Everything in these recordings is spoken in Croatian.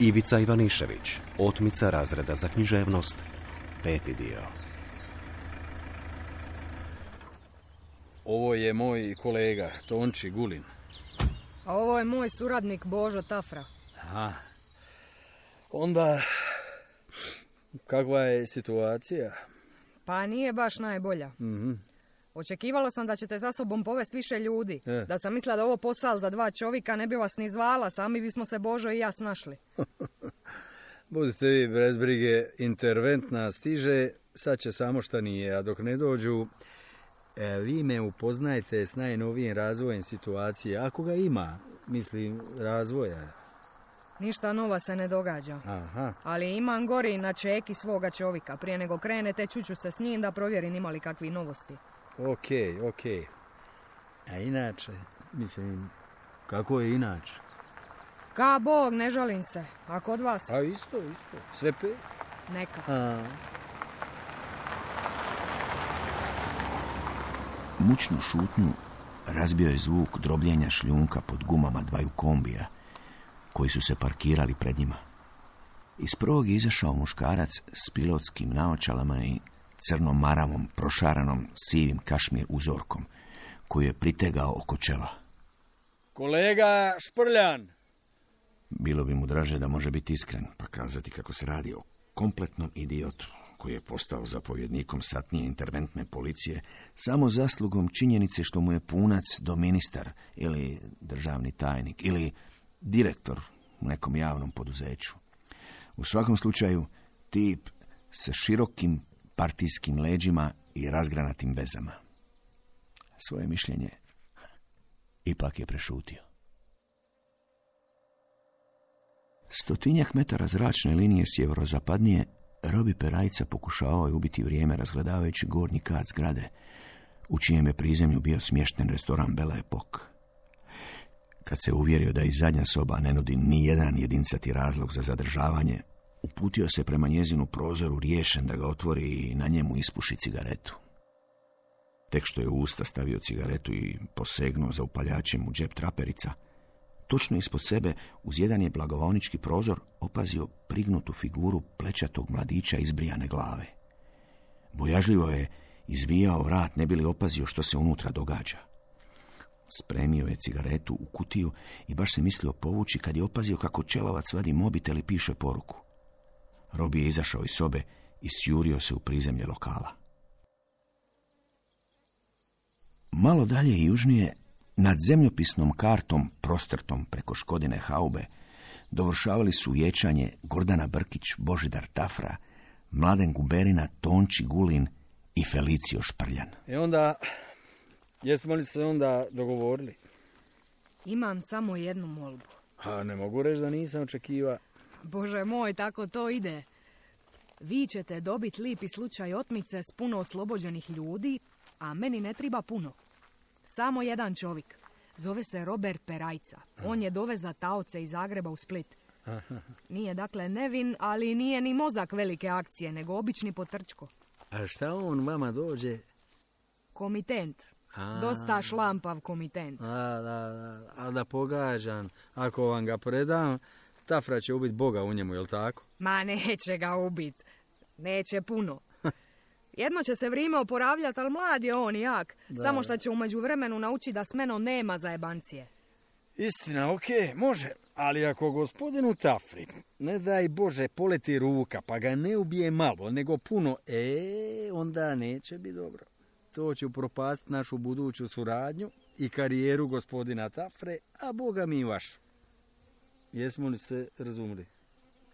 Ivica Ivanišević, otmica razreda za književnost, 5. dio. Ovo je moj kolega, Tonči Gulin. A ovo je moj suradnik Božo Tafra. Aha. Onda, kakva je situacija? Pa nije baš najbolja. Očekivala sam da ćete za sobom povesti više ljudi. Da sam mislila da ovo posao za 2 čovjeka, ne bi vas ni zvala, sami bismo se Božo i ja snašli. Budite vi bez brige, interventna stiže, sad će samo šta nije, a dok ne dođu, vi me upoznajte s najnovijim razvojem situacije, ako ga ima, mislim, razvoja. Ništa nova se ne događa. Aha. Ali imam gori na čeki svoga čovjeka. Prije nego krenete, čuću se s njim da provjerim ima li kakvi novosti. Ok. A inače, mislim, kako je inače? Ka Bog, ne žalim se. A kod vas? A isto. Sve 5? Neka. Mučnu šutnju razbio je zvuk drobljenja šljunka pod gumama 2 kombija koji su se parkirali pred njima. Iz prvog je izašao muškarac s pilotskim naočalama i crnom maravom prošaranom sivim kašmir uzorkom koju je pritegao oko čela. Kolega Šprljan! Bilo bi mu draže da može biti iskren, pa kazati kako se radi o kompletnom idiotu koji je postao zapovjednikom satnije interventne policije samo zaslugom činjenice što mu je punac doministar ili državni tajnik ili direktor u nekom javnom poduzeću. U svakom slučaju, tip sa širokim partijskim leđima i razgranatim vezama. Svoje mišljenje ipak je prešutio. 100 metara zračne linije sjeverozapadnije Robi Perajca pokušavao je ubiti vrijeme razgledavajući gornji kat zgrade, u čijem je prizemlju bio smješten restoran Belle Epoque. Kad se uvjerio da i zadnja soba ne nudi ni jedan jedincati razlog za zadržavanje, uputio se prema njezinu prozoru riješen da ga otvori i na njemu ispuši cigaretu. Tek što je u usta stavio cigaretu i posegnuo za upaljačem u džep traperica, točno ispod sebe, uz jedan je blagovaonički prozor, opazio prignutu figuru plečatog mladića izbrijane glave. Bojažljivo je izvijao vrat, ne bi li opazio što se unutra događa. Spremio je cigaretu u kutiju i baš se mislio povući kad je opazio kako čelavac vadi mobitel i piše poruku. Robi je izašao iz sobe i sjurio se u prizemlje lokala. Malo dalje i južnije, nad zemljopisnom kartom prostrtom preko Škodine haube, dovršavali su vječanje Gordana Brkić, Božidar Tafra, Mladen Guberina, Tonči Gulin i Felicio Šprljan. Onda, jesmo li se onda dogovorili? Imam samo jednu molbu. Ne mogu reći da nisam očekivao. Bože moj, tako to ide. Vi ćete dobiti lipi slučaj otmice s puno oslobođenih ljudi, a meni ne treba puno. Samo jedan čovjek. Zove se Robert Perajca. On je doveza taoce iz Zagreba u Split. Nije dakle nevin, ali nije ni mozak velike akcije, nego obični potrčko. A šta on vama dođe? Komitent. Dosta šlampav komitent. A da pogađam, ako vam ga predam, Tafra će ubiti Boga u njemu, jel tako? Ma neće ga ubiti. Neće puno. Jedno će se vrijeme oporavljati, ali mlad je on i jak. Samo što će u međuvremenu naučiti da s menom nema zajebancije. Istina, okej, može. Ali ako gospodinu Tafri, ne daj Bože, poleti ruka, pa ga ne ubije malo, nego puno, onda neće biti dobro. To će upropastiti našu buduću suradnju i karijeru gospodina Tafre, a Boga mi i vašu. Jesmo li se razumili?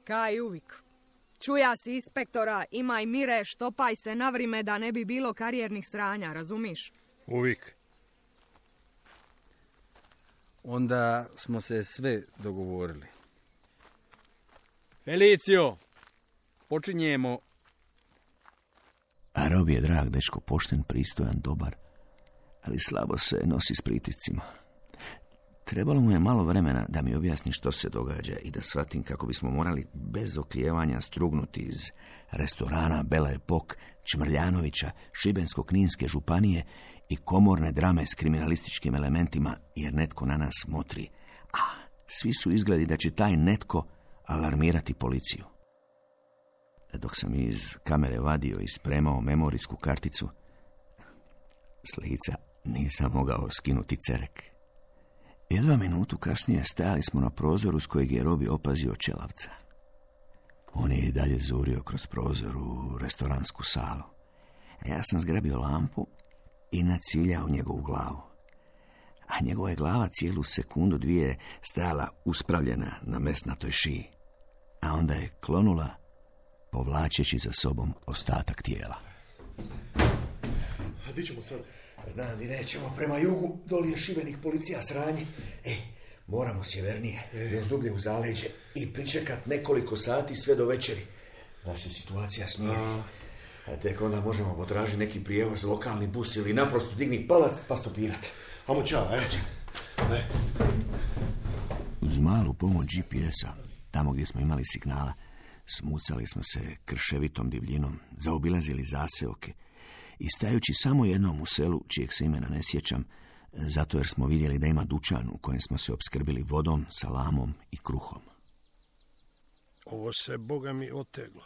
Kaj uvijek. Čuja si inspektora, imaj mire, štopaj se na vrime da ne bi bilo karijernih sranja, razumiš? Uvijek. Onda smo se sve dogovorili. Felicio, počinjemo. A Robi je drag dečko, pošten, pristojan, dobar, ali slabo se nosi s pritiscima. Trebalo mu je malo vremena da mi objasni što se događa i da shvatim kako bismo morali bez oklijevanja strugnuti iz restorana Belle Epoque, Čmrljanovića, Šibensko-kninske županije i komorne drame s kriminalističkim elementima, jer netko na nas motri. A svi su izgledi da će taj netko, alarmirati policiju. Dok sam iz kamere vadio i spremao memorijsku karticu, s lica nisam mogao skinuti cerek. Jedva minutu kasnije stajali smo na prozoru s kojeg je Robi opazio Čelavca. On je i dalje zurio kroz prozor u restoransku salu. A ja sam zgrabio lampu i naciljao njegovu glavu. A njegova je glava cijelu sekundu dvije stajala uspravljena na mesnatoj šiji. A onda je klonula, povlačeći za sobom ostatak tijela. A di ćemo sad? Znam di nećemo, prema jugu, doli je Šibenik, policija sranje. Moramo sjevernije, još dublje u zaleđe i pričekat nekoliko sati sve do večeri, da se situacija smiri. A tek onda možemo potražiti neki prijevoz, lokalni bus ili naprosto digni palac pa stopirat. Amo čao, Uz malu pomoć GPS-a, tamo gdje smo imali signala, smucali smo se krševitom divljinom, zaobilazili zaseoke i stajući samo jednom u selu, čijeg se imena ne sjećam, zato jer smo vidjeli da ima dućan u kojem smo se opskrbili vodom, salamom i kruhom. Ovo se, Boga mi, oteglo.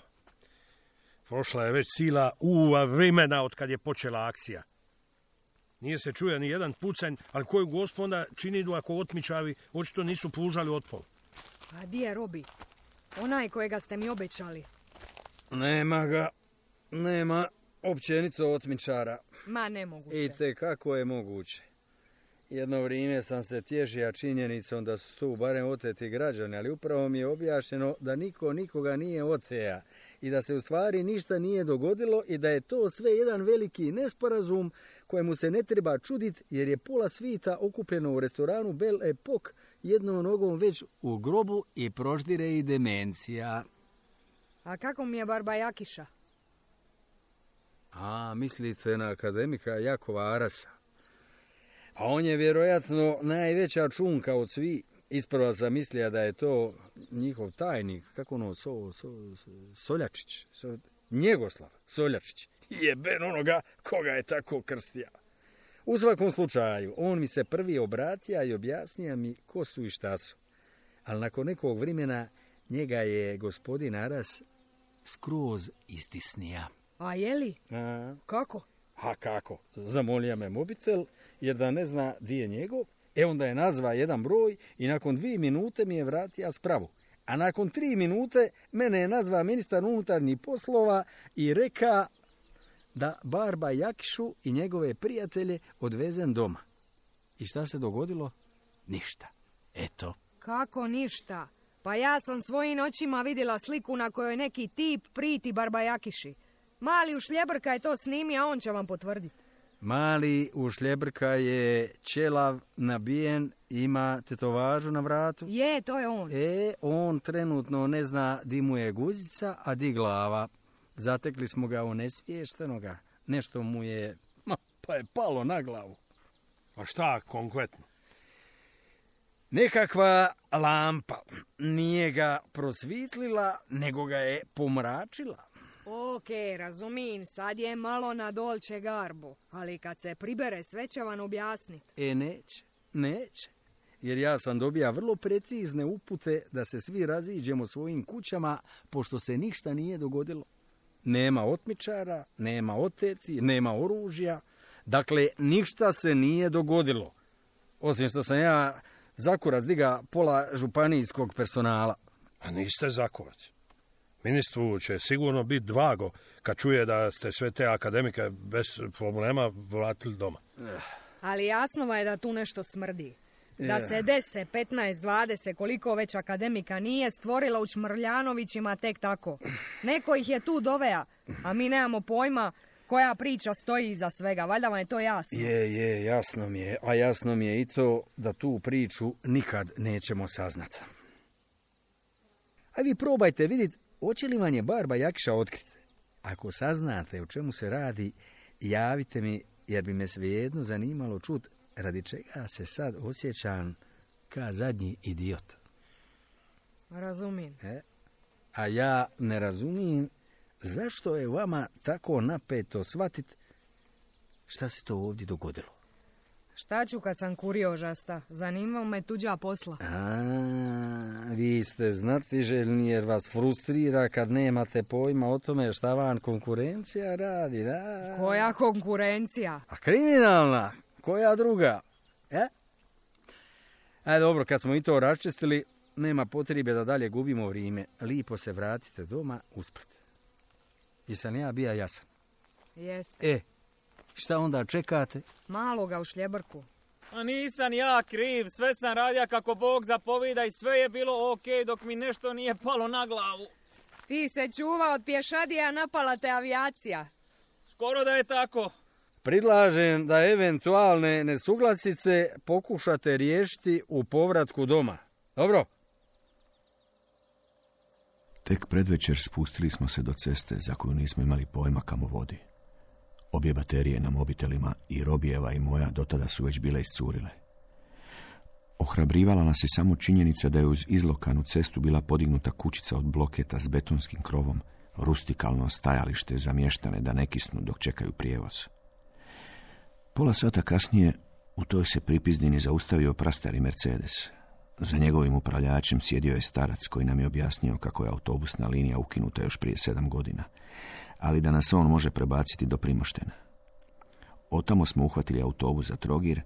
Prošla je već sila uva vremena od kad je počela akcija. Nije se čuje ni jedan pucanj, ali koju gospoda činidu ako otmičavi očito nisu pružali otpor. A di je Robi? Onaj kojega ste mi obećali. Nema ga. Nema općenito otmičara. Ma nemoguće. I te kako je moguće. Jedno vrijeme sam se tješio činjenicom da su tu barem oteti građani, ali upravo mi je objašnjeno da niko nikoga nije oteja i da se u stvari ništa nije dogodilo i da je to sve jedan veliki nesporazum kojemu se ne treba čuditi jer je pola svita okupljeno u restoranu Belle Epoque jednom nogom već u grobu i proždire i demencija. A kako mi je Barba Jakiša? A, mislite na akademika Jakova Arasa? A on je vjerojatno najveća čunka od svi. Isprva sam mislio da je to njihov tajnik, kako ono, Soljačić, Njegoslav Soljačić. Jeben onoga koga je tako krstija. U svakom slučaju, on mi se prvi obratija i objasnija mi ko su i šta su. Ali nakon nekog vremena njega je gospodin Aras skroz istisnija. A je li? Kako? A kako? Zamolio me mobitel jer da ne zna di je njegov. Onda je nazva jedan broj i nakon 2 minute mi je vratio spravu. A nakon 3 minute mene je nazva ministar unutarnjih poslova i reka da Barba Jakišu i njegove prijatelje odvezem doma. I šta se dogodilo? Ništa. Eto. Kako ništa? Pa ja sam svojim očima vidjela sliku na kojoj neki tip priti Barba Jakiši. Mali Ušljebrka je to snimio, a on će vam potvrditi. Mali Ušljebrka je ćelav, nabijen, ima tetovažu na vratu. Je, to je on. On trenutno ne zna di mu je guzica, a di glava. Zatekli smo ga onesviještenoga. Nešto mu je, pa je palo na glavu. A šta konkretno? Nekakva lampa nije ga prosvitlila, nego ga je pomračila. Ok, razumijem, sad je malo na Dolce Garbo, ali kad se pribere sve će vam objasniti. Neće. Jer ja sam dobija vrlo precizne upute da se svi raziđemo svojim kućama, pošto se ništa nije dogodilo. Nema otmičara, nema oteti, nema oružja. Dakle, ništa se nije dogodilo. Osim što sam ja zakurac diga pola županijskog personala. A niste zakurac. Ministru će sigurno biti drago kad čuje da ste sve te akademike bez problema vratili doma. Ali jasno je da tu nešto smrdi. Da se 10, 15, 20, koliko već akademika nije stvorila u Čmrljanovićima tek tako. Neko ih je tu dovea, a mi nemamo pojma koja priča stoji iza svega. Valjda vam je to jasno. Je, jasno mi je. A jasno mi je i to da tu priču nikad nećemo saznati. A vi probajte vidjeti hoće li vam je Barba Jakiša otkriti. Ako saznate o čemu se radi, javite mi, jer bi me svejedno zanimalo čut radi čega se sad osjećam ka zadnji idiot. Razumijem. A ja ne razumijem zašto je vama tako napeto shvatit šta se to ovdje dogodilo. Šta ću kad sam kuriožasta? Zanimao me tuđa posla. Vi ste znatiželjni jer vas frustrira kad nemate pojma o tome šta vam konkurencija radi, da? Koja konkurencija? A kriminalna? Koja druga? Dobro, kad smo i to raščistili, nema potrebe da dalje gubimo vrijeme. Lipo se vratite doma usprat. Jesam ja bija jasan? Jeste. Šta onda čekate? Maloga u šljebrku. A nisam ja kriv, sve sam radija kako Bog zapovida i sve je bilo okej dok mi nešto nije palo na glavu. Ti se čuva od pješadija, napala te avijacija. Skoro da je tako. Predlažem da eventualne nesuglasice pokušate riješiti u povratku doma. Dobro? Tek predvečer spustili smo se do ceste za koju nismo imali pojma kamo vodi. Obje baterije na mobitelima, i Robijeva i moja, dotada su već bile iscurile. Ohrabrivala nas je samo činjenica da je uz izlokanu cestu bila podignuta kućica od bloketa s betonskim krovom, rustikalno stajalište za mještane da ne kisnu dok čekaju prijevoz. Pola sata kasnije u toj se pripizdini zaustavio prastari Mercedes. Za njegovim upravljačem sjedio je starac koji nam je objasnio kako je autobusna linija ukinuta još prije 7 godina, ali da nas on može prebaciti do Primoštena. Otamo smo uhvatili autobus za Trogir,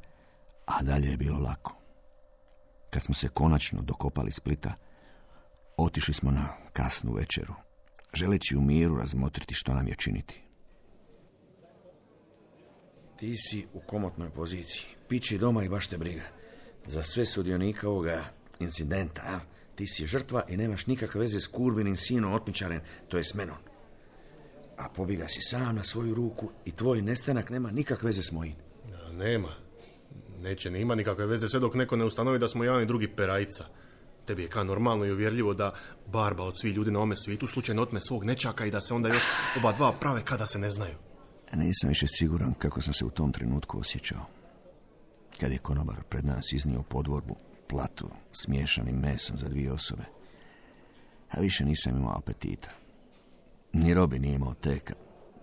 a dalje je bilo lako. Kad smo se konačno dokopali Splita, otišli smo na kasnu večeru, želeći u miru razmotriti što nam je činiti. Ti si u komotnoj poziciji. Pići doma i baš te briga. Za sve sudionika ovoga incidenta, a? Ti si žrtva i nemaš nikakve veze s Kurbinim sinom otmičaren, to je s menom. A pobiga si sam na svoju ruku i tvoj nestanak nema nikakve veze s mojim. Nema. Neće ni ima nikakve veze sve dok neko ne ustanovi da smo jedan i drugi perajca. Tebi je kao normalno i uvjerljivo da barba od svih ljudi na ome svijetu slučajno otme svog nečaka i da se onda još oba dva prave kada se ne znaju. Nisam više siguran kako sam se u tom trenutku osjećao. Kad je konobar pred nas iznio podvorbu, platu s miješanim mesom za 2 osobe. A više nisam imao apetita. Ni Robi nije imao teka.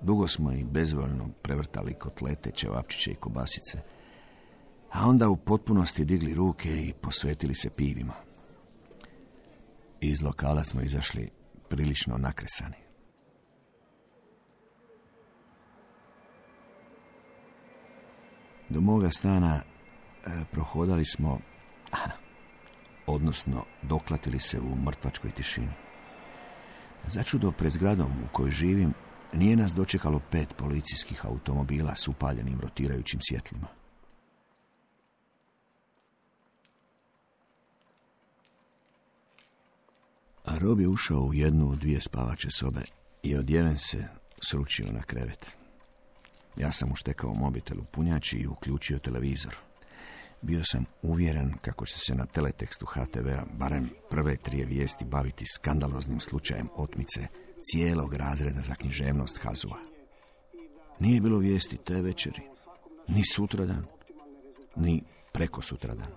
Dugo smo i bezvoljno prevrtali kotlete, ćevapčiće i kobasice. A onda u potpunosti digli ruke i posvetili se pivima. Iz lokala smo izašli prilično nakresani. Do moga stana prohodali smo, odnosno doklatili se u mrtvačkoj tišini. Začudo, pred zgradom u kojoj živim nije nas dočekalo 5 policijskih automobila s upaljenim rotirajućim svjetlima. A Rob je ušao u 1 od 2 spavače sobe i odjeven se sručio na krevet. Ja sam uštekao mobitel u punjači i uključio televizor. Bio sam uvjeren kako će se na teletekstu HTV-a barem prve 3 vijesti baviti skandaloznim slučajem otmice cijelog razreda za književnost HAZU-a. Nije bilo vijesti te večeri, ni sutradan, ni prekosutradan.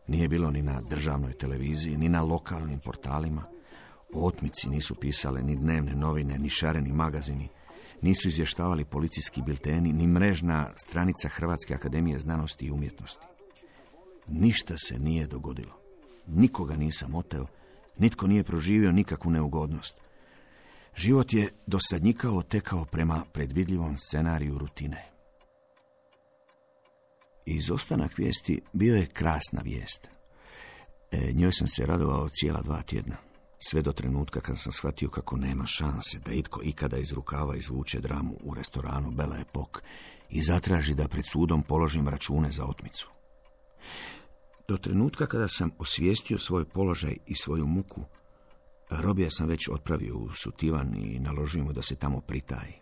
Nije bilo ni na državnoj televiziji, ni na lokalnim portalima. O otmici nisu pisale ni dnevne novine, ni šareni magazini. Nisu izvještavali policijski bilteni, ni mrežna stranica Hrvatske akademije znanosti i umjetnosti. Ništa se nije dogodilo. Nikoga nisam oteo, nitko nije proživio nikakvu neugodnost. Život je dosadnjikao tekao prema predvidljivom scenariju rutine. Izostanak vijesti bio je krasna vijest. Njoj sam se radovao cijela 2 tjedna. Sve do trenutka kad sam shvatio kako nema šanse da itko ikada iz rukava izvuče dramu u restoranu Belle Epoque i zatraži da pred sudom položim račune za otmicu. Do trenutka kada sam osvijestio svoj položaj i svoju muku, Robija sam već otpravio u Sutivan i naložio mu da se tamo pritaji.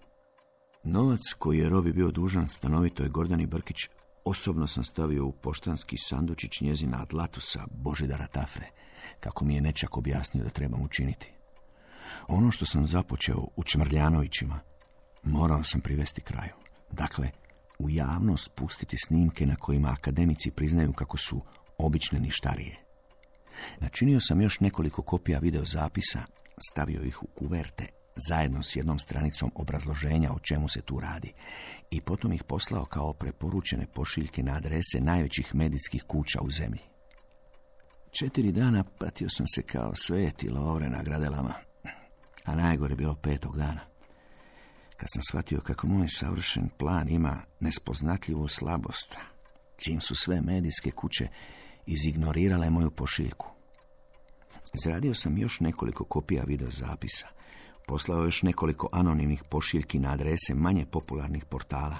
Novac koji je Robi bio dužan stanovitoj Gordani Brkić osobno sam stavio u poštanski sandučić njezina Atlatusa Božidara Tafre, kako mi je nečak objasnio da trebam učiniti. Ono što sam započeo u Čmrljanovićima morao sam privesti kraju. Dakle, u javnost pustiti snimke na kojima akademici priznaju kako su obične ništarije. Načinio sam još nekoliko kopija videozapisa, stavio ih u kuverte zajedno s jednom stranicom obrazloženja o čemu se tu radi, i potom ih poslao kao preporučene pošiljke na adrese najvećih medijskih kuća u zemlji. 4 dana patio sam se kao sveti Lovre na gradelama, a najgore bilo 5. dana, kad sam shvatio kako moj savršen plan ima nespoznatljivu slabost, čim su sve medijske kuće izignorirale moju pošiljku. Izradio sam još nekoliko kopija videozapisa, poslao još nekoliko anonimnih pošiljki na adrese manje popularnih portala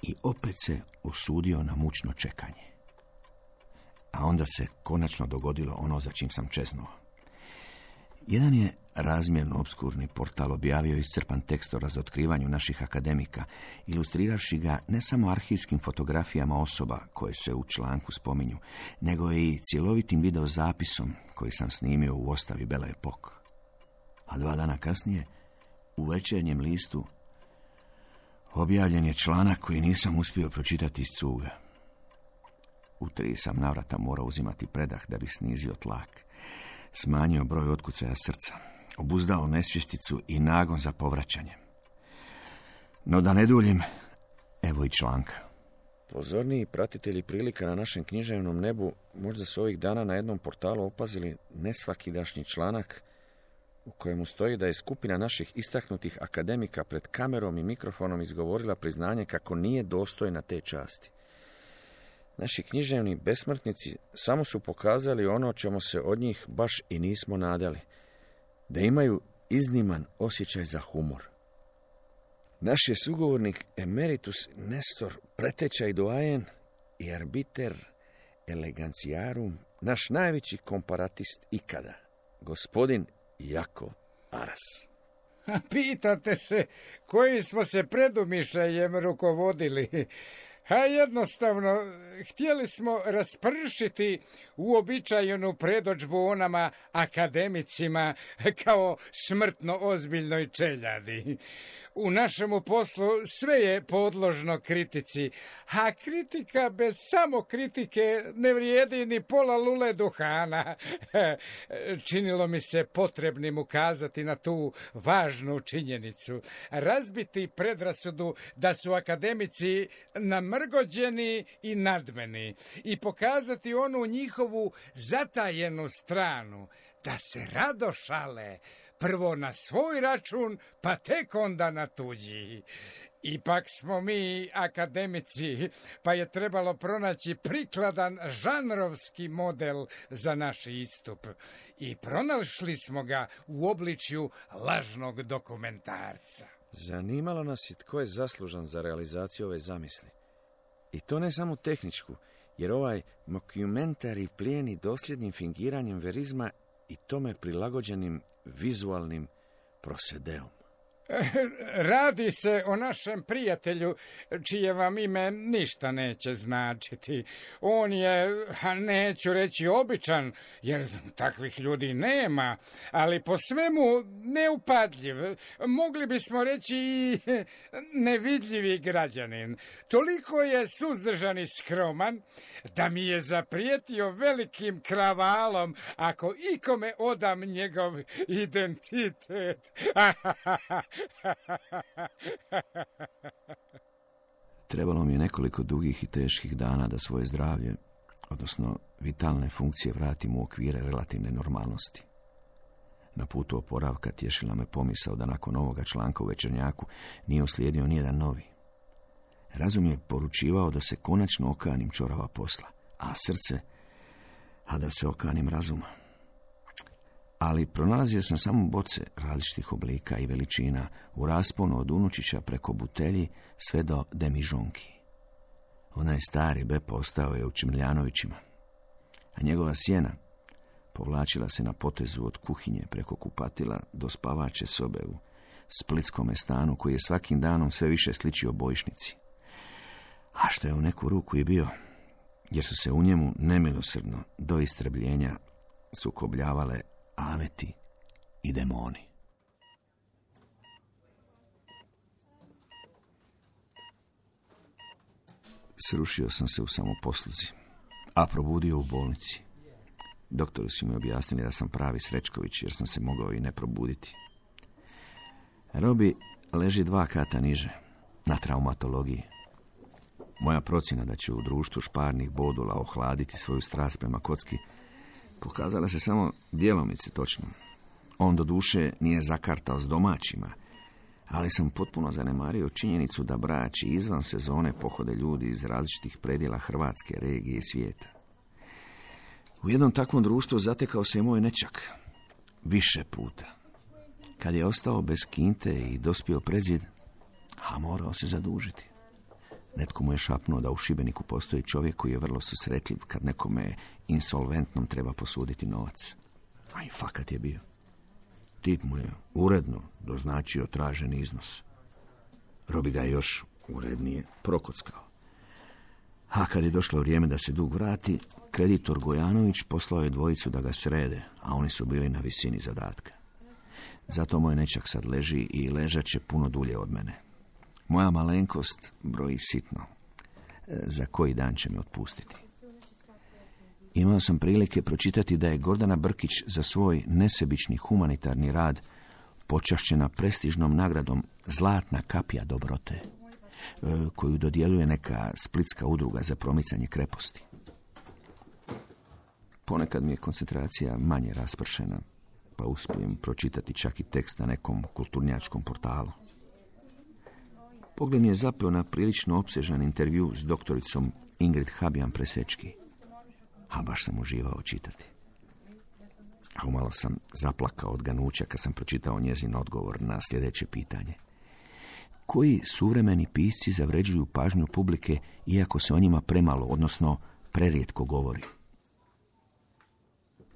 i opet se usudio na mučno čekanje. A onda se konačno dogodilo ono za čim sam čeznuo. Jedan je razmjerno obskurni portal objavio iscrpan tekst o razotkrivanju naših akademika, ilustriravši ga ne samo arhivskim fotografijama osoba koje se u članku spominju, nego i cjelovitim videozapisom koji sam snimio u ostavi Belle Epoque. A 2 dana kasnije, u Večernjem listu, objavljen je članak koji nisam uspio pročitati iz cuga. U 3 sam navrata morao uzimati predah da bi snizio tlak, smanjio broj otkucaja srca, obuzdao nesvjesticu i nagon za povraćanje. No da ne duljim, evo i članka. Pozorniji pratitelji prilika na našem književnom nebu možda su ovih dana na jednom portalu opazili nesvakidašnji članak u kojemu stoji da je skupina naših istaknutih akademika pred kamerom i mikrofonom izgovorila priznanje kako nije dostojna te časti. Naši književni besmrtnici samo su pokazali ono čemu se od njih baš i nismo nadali, da imaju izniman osjećaj za humor. Naš je sugovornik emeritus Nestor, preteča i doajen i arbiter eleganciarum, naš najveći komparatist ikada, gospodin Jakov Aras. Pitate se kojim smo se predumišljajem rukovodili. A jednostavno, htjeli smo raspršiti uobičajenu predodžbu onama akademicima kao smrtno ozbiljnoj čeljadi. U našemu poslu sve je podložno kritici, a kritika bez samo kritike ne vrijedi ni pola lule duhana. Činilo mi se potrebnim ukazati na tu važnu činjenicu, razbiti predrasudu da su akademici namrgođeni i nadmeni i pokazati onu njihovu zatajenu stranu, da se rado šale, prvo na svoj račun, pa tek onda na tuđi. Ipak smo mi akademici, pa je trebalo pronaći prikladan žanrovski model za naš istup. I pronašli smo ga u obličju lažnog dokumentarca. Zanimalo nas je tko je zaslužan za realizaciju ove zamisli. I to ne samo tehničku, jer ovaj mockumentary plijeni dosljednim fingiranjem verizma i tome prilagođenim vizualnim prosedeom. Radi se o našem prijatelju, čije vam ime ništa neće značiti. On je, neću reći običan, jer takvih ljudi nema, ali po svemu neupadljiv. Mogli bismo reći i nevidljivi građanin. Toliko je suzdržan i skroman da mi je zaprijetio velikim kravalom ako ikome odam njegov identitet. Trebalo mi je nekoliko dugih i teških dana da svoje zdravlje, odnosno vitalne funkcije, vratim u okvire relativne normalnosti. Na putu oporavka tješila me pomisao da nakon ovoga članka u Večernjaku nije uslijedio nijedan novi. Razum je poručivao da se konačno okanim čorava posla, a srce, a da se okanim razuma. Ali pronalazio sam samo boce različitih oblika i veličina u rasponu od unučića preko butelji sve do demižonki. Onaj stari Bepo ostao je u Čimljanovićima, a njegova sjena povlačila se na potezu od kuhinje preko kupatila do spavače sobe u splitskome stanu koji je svakim danom sve više sličio bojišnici. A što je u neku ruku i bio, jer su se u njemu nemilosrdno do istrebljenja sukobljavale aveti i demoni. Srušio sam se u samoposluzi, a probudio u bolnici. Doktori su mi objasnili da sam pravi Srećković, jer sam se mogao i ne probuditi. Robi leži 2 kata niže, na traumatologiji. Moja procjena da će u društvu šparnih bodula ohladiti svoju strast prema kocki pokazala se samo djelomice točno. On do duše nije zakartao s domaćima, ali sam potpuno zanemario činjenicu da Brač i izvan sezone pohode ljudi iz različitih predjela Hrvatske, regije i svijeta. U jednom takvom društvu zatekao se i moj nećak. Više puta. Kad je ostao bez kinte i dospio pred zid, a morao se zadužiti. Netko mu je šapnuo da u Šibeniku postoji čovjek koji je vrlo susretljiv kad nekome insolventnom treba posuditi novac. A i fakat je bio. Tip mu je uredno doznačio traženi iznos. Robi ga je još urednije prokockao. A kad je došlo vrijeme da se dug vrati, kreditor Gojanović poslao je dvojicu da ga srede, a oni su bili na visini zadatka. Zato moj nećak sad leži i ležat će puno dulje od mene. Moja malenkost broji sitno. Za koji dan će me otpustiti. Imao sam prilike pročitati da je Gordana Brkić za svoj nesebični humanitarni rad počašćena prestižnom nagradom Zlatna kapija dobrote, koju dodjeljuje neka splitska udruga za promicanje kreposti. Ponekad mi je koncentracija manje raspršena, pa uspijem pročitati čak i tekst na nekom kulturnjačkom portalu. Pogled mi je zapeo na prilično opsežan intervju s doktoricom Ingrid Habjan-Presečki, a baš sam uživao čitati. A umalo sam zaplakao od ganuća kad sam pročitao njezin odgovor na sljedeće pitanje. Koji suvremeni pisci zavređuju pažnju publike iako se o njima premalo, odnosno prerijetko govori?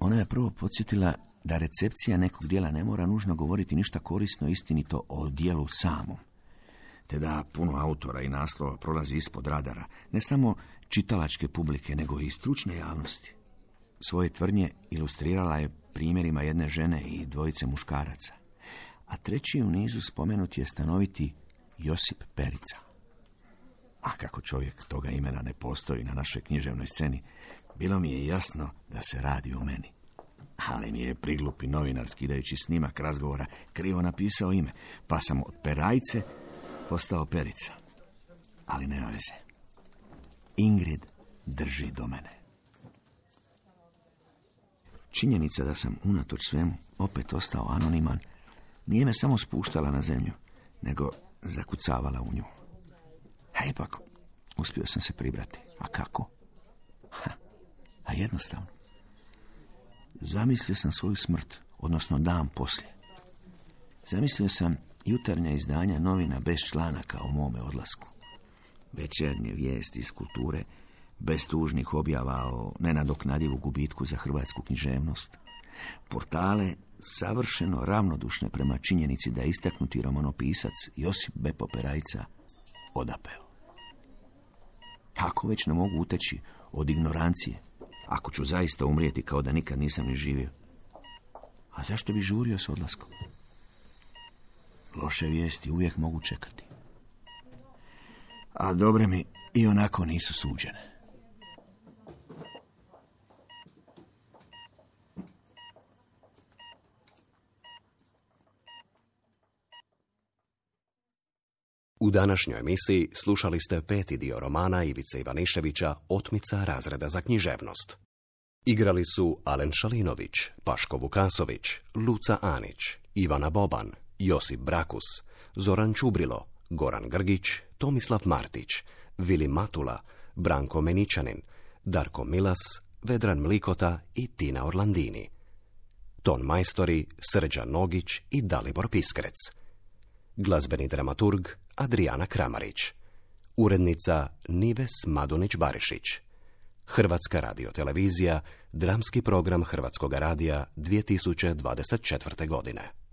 Ona je prvo podsjetila da recepcija nekog dijela ne mora nužno govoriti ništa korisno istinito o dijelu samom, te da puno autora i naslova prolazi ispod radara, ne samo čitalačke publike, nego i stručne javnosti. Svoje tvrdnje ilustrirala je primjerima jedne žene i dvojice muškaraca, a treći u nizu spomenut je stanoviti Josip Perica. A kako čovjek toga imena ne postoji na našoj književnoj sceni, bilo mi je jasno da se radi o meni. Ali mi je priglupi novinar skidajući snimak razgovora krivo napisao ime, pa sam od Perajce postao Perica. Ali nema veze. Ingrid drži do mene. Činjenica da sam unatoč svemu opet ostao anoniman nije me samo spuštala na zemlju, nego zakucavala u nju. A ipak, uspio sam se pribrati. A kako? A jednostavno. Zamislio sam svoju smrt, odnosno dan poslije. Zamislio sam jutarnja izdanja novina bez članaka o mome odlasku. Večernje vijesti iz kulture, bez tužnih objava o nenadoknadivu gubitku za hrvatsku književnost. Portale savršeno ravnodušne prema činjenici da je istaknuti romanopisac Josip Bepo Perajca odapeo. Kako već ne mogu uteći od ignorancije, ako ću zaista umrijeti kao da nikad nisam ni živio? A zašto bi žurio s odlaskom? Loše vijesti uvijek mogu čekati. A dobre mi i onako nisu suđene. U današnjoj emisiji slušali ste 5. dio romana Ivice Ivaniševića Otmica razreda za književnost. Igrali su Alen Šalinović, Paško Vukasović, Luca Anić, Ivana Boban, Josip Brakus, Zoran Čubrilo, Goran Grgić, Tomislav Martić, Vili Matula, Branko Meničanin, Darko Milas, Vedran Mlikota i Tina Orlandini. Ton majstori Srđan Nogić i Dalibor Piskrec. Glazbeni dramaturg Adrijana Kramarić. Urednica Nives Madunić-Barišić. Hrvatska radiotelevizija, dramski program Hrvatskog radija 2024. godine.